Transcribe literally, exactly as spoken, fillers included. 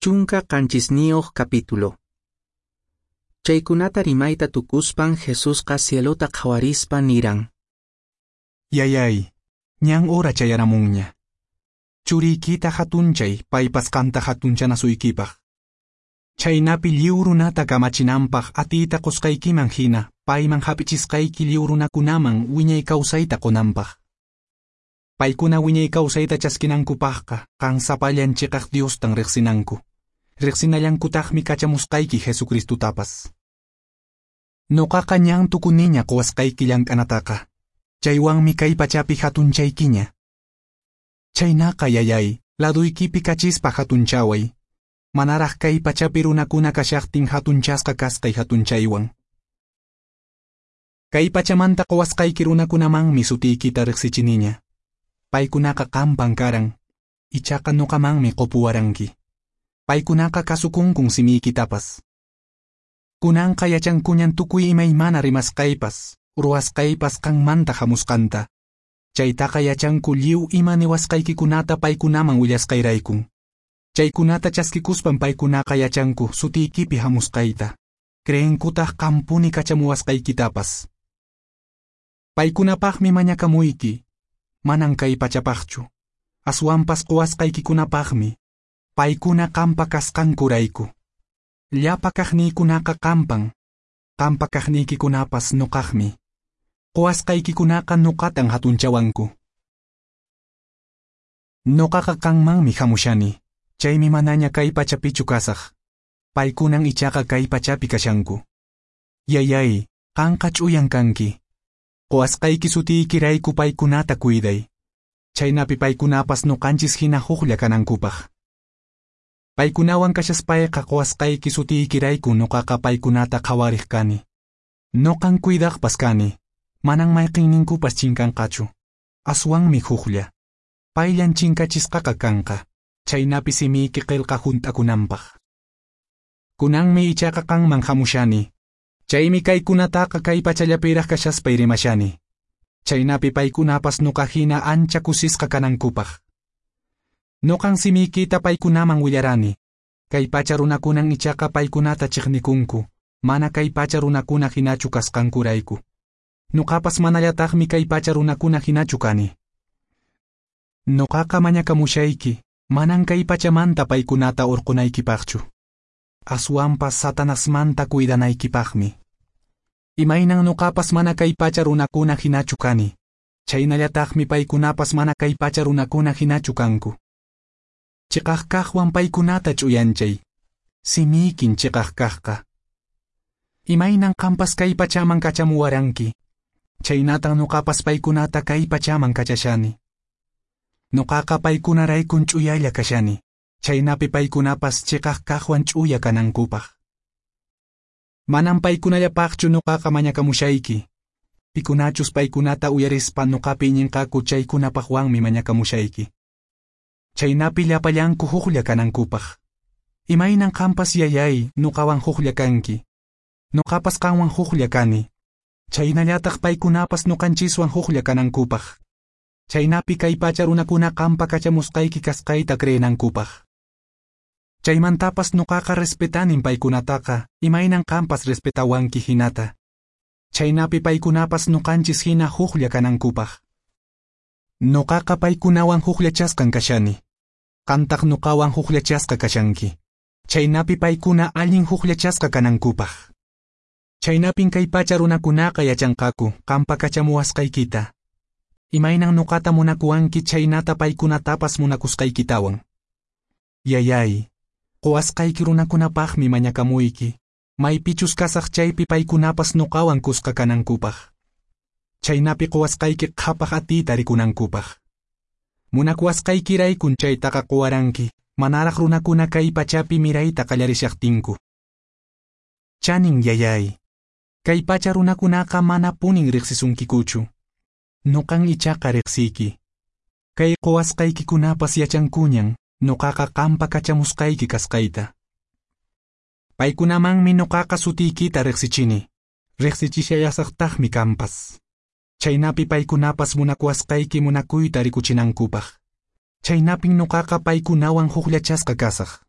Chunka qanchisniyuq capítulo. Chaykunata rimayta tukuspan Jesusqa cielota qhawarispa niran: Yayay, ñan hora chayaramunña. Churiykita hatunchay paypas qanta hatunchanasuykipaq. Chaynapi lliw runata kamachinanpaq atiyta qusqaykiman hina payman hap'ichisqayki lliw runakunaman wiñay kawsayta qunanpaq. Paykuna wiñay kawsayta chaskinankupaqqa qan sapallan chiqaq Diostan riqsinanku. Riqsinallankutaqmi kachamusqayki Jesucristutapas. Nuqaqa ñan tukuniña quwasqayki llank'anataqa. Chaywanmi kay pachapi hatunchaykiña. Chaynaqa yayay, laduykipi kachispa hatunchaway. Manaraq kay pachapi runakuna kashaqtin hatunchasqa kasqay hatunchaywan. Kay pachamanta quwasqayki runakunamanmi sutiykita riqsichiniña. Paykunaqa qampan karan, ichaqa nuqamanmi qupuwaranki. Paykunaqa kasukunkun simiykitapas. Kunanqa yachankuñan tukuy imaymana rimasqaypas, ruwasqaypas qanmanta hamusqanta. Chaytaqa yachanku lliw ima niwasqaykikunata paykunaman willasqayraykun. Chaykunata chaskikuspan paykunaqa yachanku sutiykipi hamusqayta. Creenkutaq qampuni kachamuwasqaykitapas. Paykunapaqmi mañakamuyki, manan kay pachapaqchu. Aswanpas quwasqaykikunapaqmi. Paykuna qampa kasqankurayku. Llapa kaqniykunaqa qampan. Qampa kaqniykikunapas nuqaqmi. Quwasqaykikunaqa nuqatan hatunchawanku. Nuqaqa qanmanmi hamushani. Chaymi manaña kay pachapichu kasaq. Paykunan ichaqa kay pachapi kashanku. Yayay, qanqa ch'uyan kanki. Quwasqayki sutiykirayku paykunata cuiday. Chaynapi paykunapas nuqanchis hina huklla kanankupaq. Paykunawan kashaspayqa quwasqayki sutiykirayku nuqaqa paykunata qhawariq kani. Nuqan cuidaqpas kani. Manan mayqinninkupas chinkanqachu. Aswanmi huklla. Payllan chinkachisqaqa kanqa. Chaynapi simiyki qillqa hunt'akunanpaq. Kunanmi ichaqa qanman hamushani. Chaymi kaykunataqa kay pachallapiraq kashaspay rimashani. Chaynapi paykunapas nuqa hina ancha kusisqa kanankupaq. Nuqan simiykita paykunaman willarani. Kay pacha runakunan ichaqa paykunata chiqnikunku, mana kay pacha runakuna hinachu kasqankurayku. Nuqapas manallataqmi kay pacha runakuna hinachu kani. Nuqaqa mañakamushayki, manan kay pachamanta paykunata urqunaykipaqchu. Aswanpas Satanasmanta cuidanaykipaqmi. Imaynan nuqapas mana kay pacha runakuna hinachu kani. Chaynallataqmi paykunapas mana kay pacha runakuna hinachu kanku. Chiqaq kaqwan paykunata ch'uyanchay. Simiykin chiqaq kaqqa. Imaynan qampas kay pachaman kachamuwaranki. Chaynatan nuqapas paykunata kay pachaman kachashani. Nuqaqa paykunaraykun ch'uyalla kashani. Chaynapi paykunapas chiqaq kaqwan ch'uya kanankupaq. Manan paykunallapaqchu nuqaqa mañakamushayki. Pikunachus paykunata uyarispa nuqapi iñinqaku chaykunapaqwanmi mañakamushayki. Chaynapi llapallanku huklla kanankupaq. Imaynan qampas yayay nuqawan huklla kanki. Nuqapas qanwan huklla kani. Chaynallataq paykunapas nuqanchiswan huklla kanankupaq. Chaynapi kay pacha runakuna qampa kachamusqayki kasqayta creenankupaq. Chaymantapas nuqaqa respetanin paykunataqa, imaynan qampas respetawanki hinata. Chaynapi paykunapas nuqanchis hina huklla kanankupaq. Nuqaqa paykunawan hukllachasqan kashani. Qantaq nuqawan hukllachasqa kashanki. Chaynapi paykuna allin hukllachasqa kanankupaq. Chaynapin kay pacha runakunaqa yachanqaku qampa kachamuwasqaykita. Imaynan nuqata munakuwanki chaynata paykunatapas munakusqaykitawan. Yayay, quwasqayki runakunapaqmi mañakamuyki, maypichus kasaq chaypi paykunapas nuqawan kusqa kanankupaq. Chaynapi quwasqayki qhapaq atiyta rikunankupaq. Munakuwasqaykiraykun chaytaqa quwaranki, manaraq runakuna kay pachapi mirayta qallarishaqtinku. Chanin yayay, kay pacha runakunaqa manapunin riqsisunkikuchu. Nuqan ichaqa riqsiyki. Kay quwasqaykikunapas yachankuñan, nuqaqa qampa kachamusqayki kasqayta. Paykunamanmi nuqaqa sutiykita riqsichini. Riqsichishallasaqtaqmi kampas. Chaynapi paykunapas munakuwasqayki munakuyta rikuchinankupaq. Chaynapin nuqaqa paykunawan hukllachasqa kasaq.